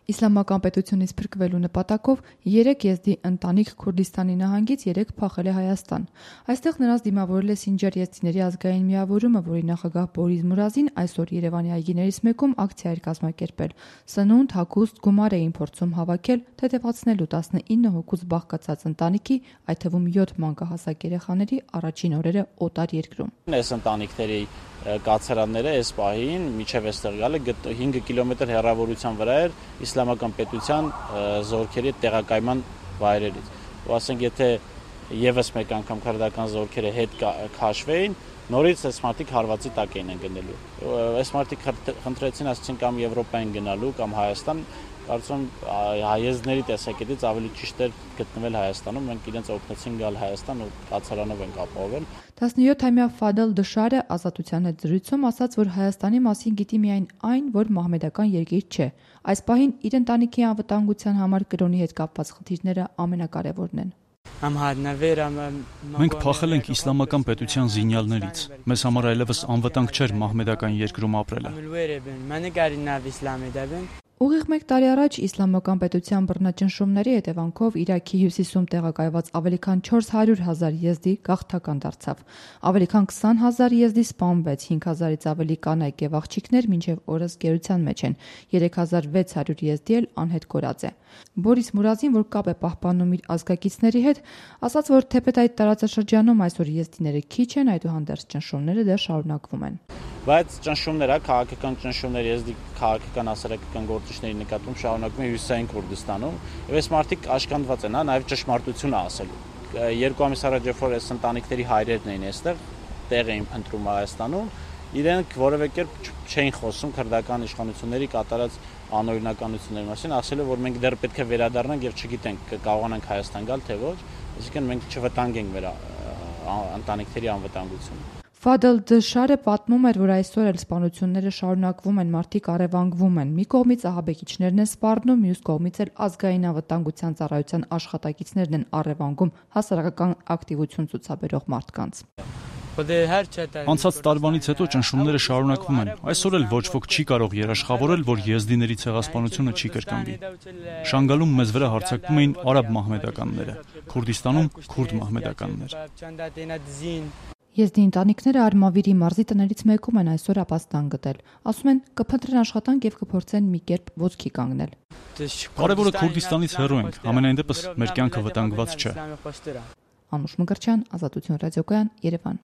Իսլամական պետությունից փրկվելու նպատակով 3 եզդի ընտանիք Քուրդիստանի նահանգից 3 փախել է Հայաստան։ Այստեղ նրանց դիմավորել է Սինջար եզդիների ազգային միավորումը, որի նախագահ Բորիս Մուրազին այսօր Երևանի այգիներից մեկում ակցիա էր կազմակերպել։ Սնունդ, հագուստ, գումար էին փորձում հավաքել, թեթևացնելու 19 հոգուց բաղկացած ընտանիքի, այդ թվում 7 մանկահասակ երեխաների առաջին օրերը օտար երկրում։ Այս ընտանիքների կացարանները այս պահին միջև այստեղ գալը 5 կիլոմետր հեռավորության վրա էր իսլամական պետության զորքերի տեղակայման վայրերից։ Ու ասենք, եթե եւս մեկ անգամ քրդական զորքերը հետ քաշվեին, նորից այս մարդիկ հարվածի տակ էին գնելու։ Այս մարդիկ խնդրեցին, ասեցին կամ Եվրոպա են գնալու, կամ Հայաստան, կարծում հայեզների տեսակետից ավելի ճիշտ էր գտնվել Հայաստանում, մենք իրենց օգնեցին գալ Հայաստան ու կացարանով ենք ապահովել։ 17-ամյա Ֆադել Դշարը Ազատության հետ զրույցում ասաց, որ Հայաստանի մասին գիտի միայն այն, որ մահմեդական երկիր չէ։ Այս պահին իր ընտանիքի անվտանգության համար կրոնի հետ կապված խնդիրները ամենակարևորն են։ Մենք փախել ենք իսլամական պետության զինյալներից։ Մեզ համար այլևս անվտանգ չէր մահմեդական երկրում ապրելը։ Ուղիղ 1 տարի առաջ իսլամական պետության բռնաճնշումների հետևանքով Իրաքի հյուսիսում տեղակայված ավելի քան 400,000 եզդի գաղթական դարձավ։ Ավելի քան 20,000 եզդի սպանվեց, 5,000-ից ավելի կանայք եւ աղջիկներ մինչեւ օրս գերության մեջ են, 3,600 եզդի էլ անհետ կորած է։ Բորիս Մուրազին, որ կապ է պահպանում իր ազգակիցների հետ, ասաց, որ թեպետ այդ տարածաշրջանում այսօր եզդիները քիչ են, այդուհանդերձ ճնշումները դեռ շարունակվում են։ Բայց ճնշումները, քաղաքական ճնշումները եզդի քաղաքական հասարակական գործիչների նկատմամբ շարունակվում է Հյուսիսային Քուրդիստանում, եւ այս մարդիկ աշկանդված են, նաեւ ճշմարտությունը ասելու։ 2 ամիս առաջ երբ այս ընտանիքների հայրերն էին այստեղ, տեղ էին փնտրում Հայաստանում, իրենք որևէ կերպ չէին խոսում քրդական իշխանությունների կատարած անօրինականությունների մասին, ասելով, որ մենք դեռ պետք է վերադառնանք եւ չգիտենք կարողանանք Հայաստան գալ թե ոչ, այսինքն մենք չվտանգենք մեր ընտանիքների անվտանգությունը։ Ֆադել Դշարը պատմում էր, որ այսօր էլ սպանությունները շարունակվում են, մարդիկ առևանգվում են։ Մի կողմից ահաբեկիչներն են սպառնում, մյուս կողմից էլ ազգային անվտանգության ծառայության աշխատակիցներն են առևանգում հասարակական ակտիվություն ցուցաբերող մարդկանց։ Անցած տարվանից հետո ճնշումները շարունակվում են։ Այսօր էլ ոչ ոք չի կարող երաշխավորել, որ եզդիների ցեղասպանությունը չի կրկնվի։ Շանգալում մեզ վրա հարձակվում էին արաբ մահմեդականները, Քուրդիստանում քուրդ մահմեդականներ։ Եզդի ընտանիքները Արմավիրի մարզի տներից մեկում են այսօր ապաստան գտել։ Ասում են կփնտրեն աշխատանք եւ կփորձեն մի կերպ ոտքի կանգնել։ Կարևորը Քուրդիստանից հեռու ենք, համենայն դեպս մեր կյանքը վտանգված չէ։ Անուշ Մկրտչյան, Ազատություն ռադիոկայան, Երևան։